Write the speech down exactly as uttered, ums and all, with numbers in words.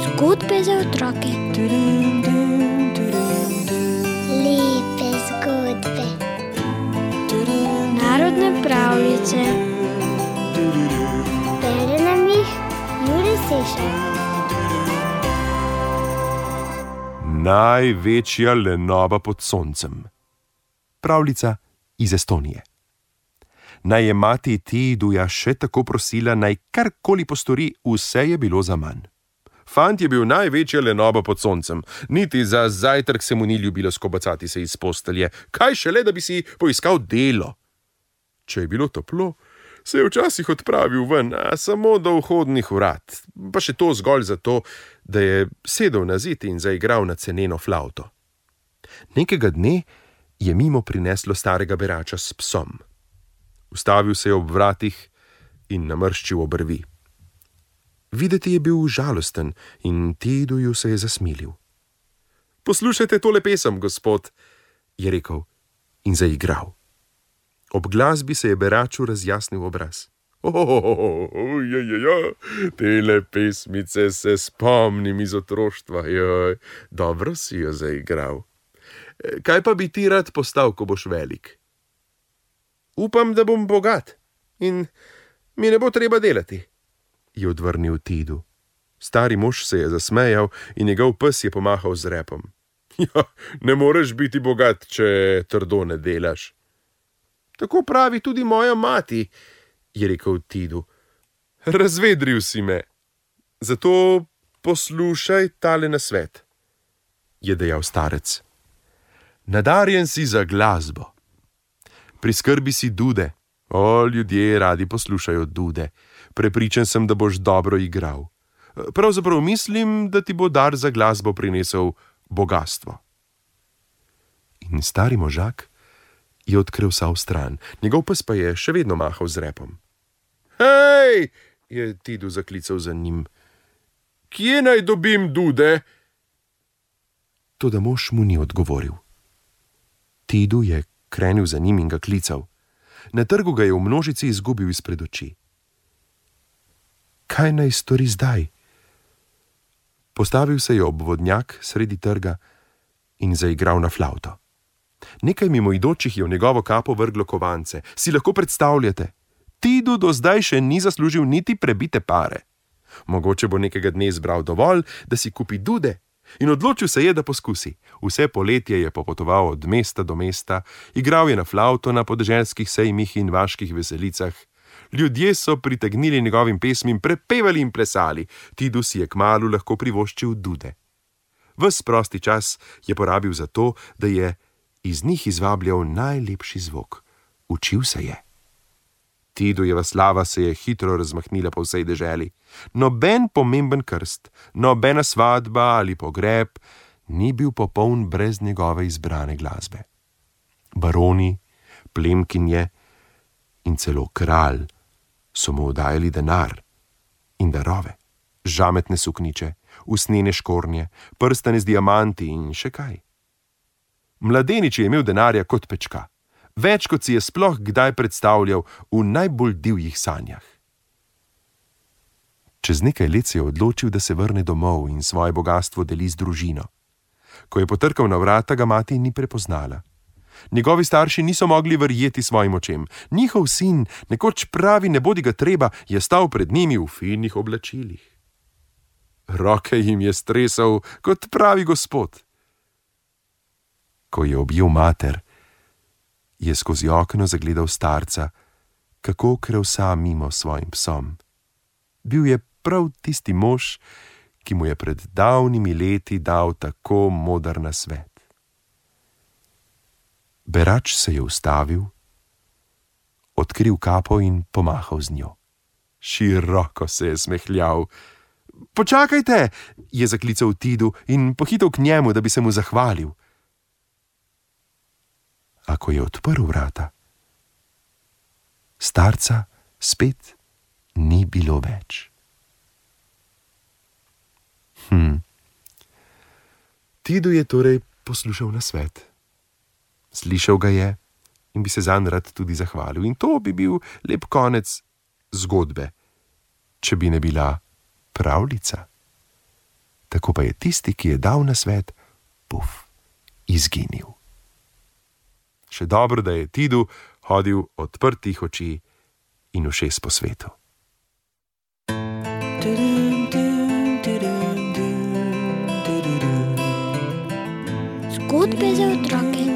Zgodbe za otroke. Lepe zgodbe. Narodne pravljice. Bere nam jih Jure Sešar. Največja lenoba pod soncem. Pravljica iz Estonije. Naj je mati Tiiduja še tako prosila, naj karkoli postori, vse je bilo zaman. Fant je bil največja lenoba pod soncem, niti za zajtrk se mu ni ljubilo skobacati se iz postelje, kaj šele, da bi si poiskal delo. Če je bilo toplo, se je včasih odpravil ven, a samo do vhodnih vrat, pa še to zgolj zato, da je sedel na zid in zaigral na ceneno flavto. Nekega dne je mimo prineslo starega berača s psom. Ustavil se je ob vratih in namrščil obrvi. Videti je bil žalosten in Tiiduju se je zasmilil. Poslušajte tole pesem, gospod, je rekel in zaigral. Ob glasbi se je beraču razjasnil obraz. Oh, ja, ja, ja, tele pesmice se spomnim iz otroštva, joj, dobro si jo zaigral. Kaj pa bi ti rad postal, ko boš velik? Upam, da bom bogat in mi ne bo treba delati, je odvrnil Tiidu. Stari mož se je zasmejal in njegov pes je pomahal z repom. Ja, ne moreš biti bogat, če trdo ne delaš. Tako pravi tudi moja mati, je rekel Tiidu. Razvedril si me, zato poslušaj tale nasvet, je dejal starec. Nadarjen si za glasbo. Priskrbi si dude. O, ljudje radi poslušajo dude. Prepričan sem, da boš dobro igral. Pravzaprav mislim, da ti bo dar za glasbo prinesel bogastvo. In stari možak je odkril vsa vstran. Njegov pes pa je še vedno mahal z repom. Hej, je Tiidu zaklical za njim. Kje naj dobim dude? Toda mož mu ni odgovoril. Tiidu je krenil za njim in ga klical. Na trgu ga je v množici izgubil izpred oči. Kaj naj stori zdaj? Postavil se je ob vodnjak sredi trga in zaigral na flavto. Nekaj mimoidočih je v njegovo kapo vrglo kovance. Si lahko predstavljate? Tiidu do zdaj še ni zaslužil niti prebite pare. Mogoče bo nekega dne zbral dovolj, da si kupi dude, in odločil se je, da poskusi. Vse poletje je popotoval od mesta do mesta, igral je na flavto na podeželskih sejmih in vaških veselicah. Ljudje so pritegnili njegovim pesmim, prepevali in plesali. Tiidu si je kmalu lahko privoščil dude. Ves prosti čas je porabil za to, da je iz njih izvabljal najlepši zvok. Učil se je. Tiidujeva slava se je hitro razmahnila po vsej deželi. Noben pomemben krst, nobena svadba ali pogreb ni bil popoln brez njegove izbrane glasbe. Baroni, plemkinje in celo kralj so mu oddajali denar in darove, žametne sukniče, usnjene škornje, prstane z diamanti in še kaj. Mladenič je imel denarja kot pečka, več kot si je sploh kdaj predstavljal v najbolj divjih sanjah. Čez nekaj let se je odločil, da se vrne domov in svoje bogastvo deli z družino. Ko je potrkal na vrata, ga mati ni prepoznala. Njegovi starši niso mogli verjeti svojim očem. Njihov sin, nekoč pravi nebodiga treba, je stal pred njimi v finih oblačilih. Roke jim je stresal kot pravi gospod. Ko je objel mater, je skozi okno zagledal starca, kako krevsa mimo svojim psom. Bil je prav tisti mož, ki mu je pred davnimi leti dal tako moder nasvet. Berač se je ustavil, odkril kapo in pomahal z njo. Široko se je smehljal. Počakajte, je zaklical Tiidu in pohitel k njemu, da bi se mu zahvalil. A ko je odprl vrata, starca spet ni bilo več. Hm. Tiidu je torej poslušal nasvet. Slišal ga je in bi se zanj rad tudi zahvalil. In to bi bil lep konec zgodbe, če bi ne bila pravljica. Tako pa je tisti, ki je dal nasvet, puf, izginil. Še dobro, da je Tidu hodil odprtih oči in ušes po svetu. Zgodbe za otroke.